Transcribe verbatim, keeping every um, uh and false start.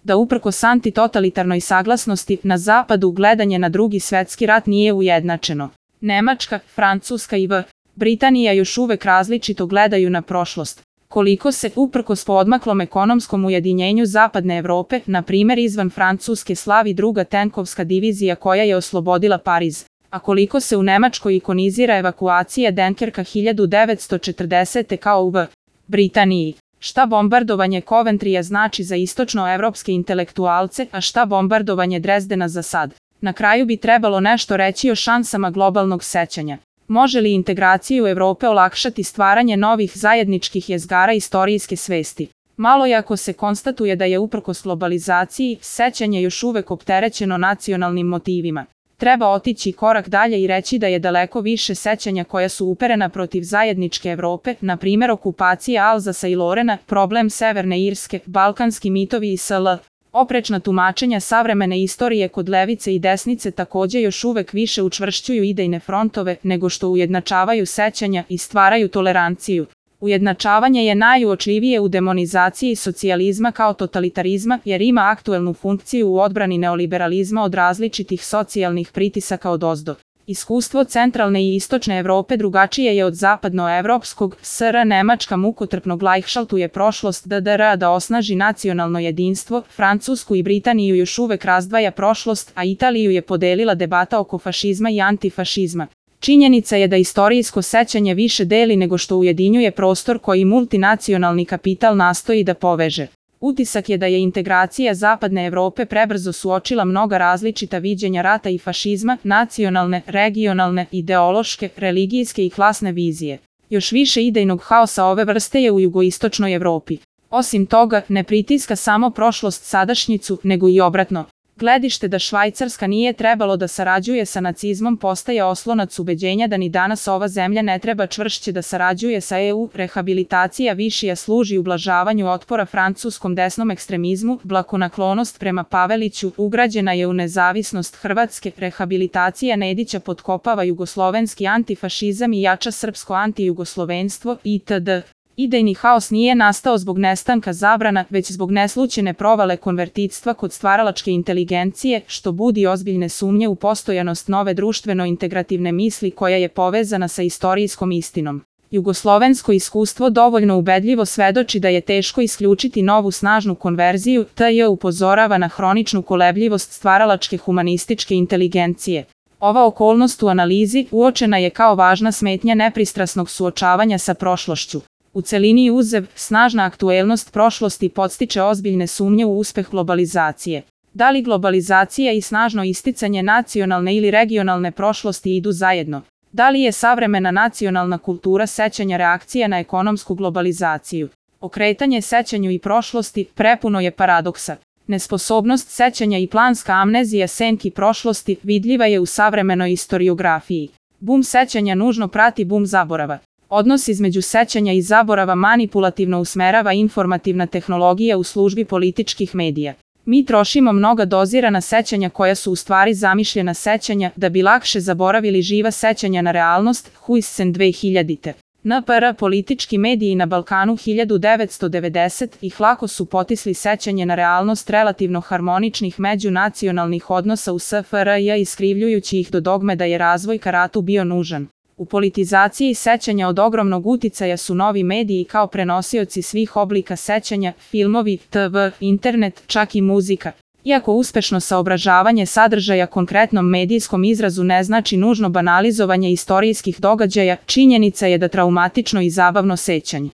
da uprkos antitotalitarnoj saglasnosti na zapadu gledanje na Drugi svetski rat nije ujednačeno. Nemačka, Francuska i Britanija još uvek različito gledaju na prošlost. Koliko se, uprkos poodmaklom ekonomskom ujedinjenju Zapadne Evrope, na primer izvan Francuske slavi druga tenkovska divizija koja je oslobodila Pariz, a koliko se u Nemačkoj ikonizira evakuacija Denkerka hiljadu devetsto četrdesete kao u Britaniji. Šta bombardovanje Coventrya znači za istočnoevropske intelektualce, a šta bombardovanje Drezdena za sad? Na kraju bi trebalo nešto reći o šansama globalnog sećanja. Može li integraciju Evrope olakšati stvaranje novih zajedničkih jezgara istorijske svesti? Malo je ako se konstatuje da je uprkos globalizaciji sećanje još uvek opterećeno nacionalnim motivima. Treba otići korak dalje i reći da je daleko više sećanja koja su uperena protiv zajedničke Evrope, na primjer okupacija Alzasa i Lorena, problem Severne Irske, balkanski mitovi i sl. Oprečna tumačenja savremene istorije kod levice i desnice takođe još uvek više učvršćuju idejne frontove nego što ujednačavaju sećanja i stvaraju toleranciju. Ujednačavanje je najuočljivije u demonizaciji socijalizma kao totalitarizma jer ima aktuelnu funkciju u odbrani neoliberalizma od različitih socijalnih pritisaka odozdo. Iskustvo centralne i istočne Evrope drugačije je od zapadnoevropskog. S R Nemačka mukotrpno glajhšaltuje prošlost D D R da osnaži nacionalno jedinstvo, Francusku i Britaniju još uvek razdvaja prošlost, a Italiju je podelila debata oko fašizma i antifašizma. Činjenica je da istorijsko sećanje više deli nego što ujedinjuje prostor koji multinacionalni kapital nastoji da poveže. Utisak je da je integracija Zapadne Evrope prebrzo suočila mnoga različita viđenja rata i fašizma, nacionalne, regionalne, ideološke, religijske i klasne vizije. Još više idejnog haosa ove vrste je u jugoistočnoj Evropi. Osim toga, ne pritiska samo prošlost sadašnjicu, nego i obratno. Gledište da Švajcarska nije trebalo da sarađuje sa nacizmom postaje oslonac ubeđenja da ni danas ova zemlja ne treba čvršće da sarađuje sa E U. Rehabilitacija Višija služi ublažavanju otpora francuskom desnom ekstremizmu, blagonaklonost prema Paveliću ugrađena je u nezavisnost Hrvatske, rehabilitacija Nedića potkopava jugoslovenski antifašizam i jača srpsko antijugoslovenstvo itd. Idejni haos nije nastao zbog nestanka zabrana, već zbog neslućene provale konvertitstva kod stvaralačke inteligencije, što budi ozbiljne sumnje u postojanost nove društveno-integrativne misli koja je povezana sa istorijskom istinom. Jugoslovensko iskustvo dovoljno ubedljivo svedoči da je teško isključiti novu snažnu konverziju, T J upozorava na hroničnu kolebljivost stvaralačke humanističke inteligencije. Ova okolnost u analizi uočena je kao važna smetnja nepristrasnog suočavanja sa prošlošću. U celini uzev, snažna aktuelnost prošlosti podstiče ozbiljne sumnje u uspeh globalizacije. Da li globalizacija i snažno isticanje nacionalne ili regionalne prošlosti idu zajedno? Da li je savremena nacionalna kultura sećanja reakcija na ekonomsku globalizaciju? Okretanje sećanju i prošlosti prepuno je paradoksa. Nesposobnost sećanja i planska amnezija senki prošlosti vidljiva je u savremenoj istoriografiji. Bum sećanja nužno prati bum zaborava. Odnos između sećanja i zaborava manipulativno usmerava informativna tehnologija u službi političkih medija. Mi trošimo mnoga dozirana sećanja koja su u stvari zamišljena sećanja da bi lakše zaboravili živa sećanja na realnost. Huijsen dve hiljadite. N P R politički mediji na Balkanu hiljadu devetsto devedesetih lako su potisli sećanje na realnost relativno harmoničnih međunacionalnih odnosa u S F R J iskrivljujući ih do dogme da je razvoj ka ratu bio nužan. U politizaciji sećanja od ogromnog uticaja su novi mediji kao prenosioci svih oblika sećanja, filmovi, T V, internet, čak i muzika. Iako uspešno saobražavanje sadržaja konkretnom medijskom izrazu ne znači nužno banalizovanje istorijskih događaja, činjenica je da traumatično i zabavno sećanje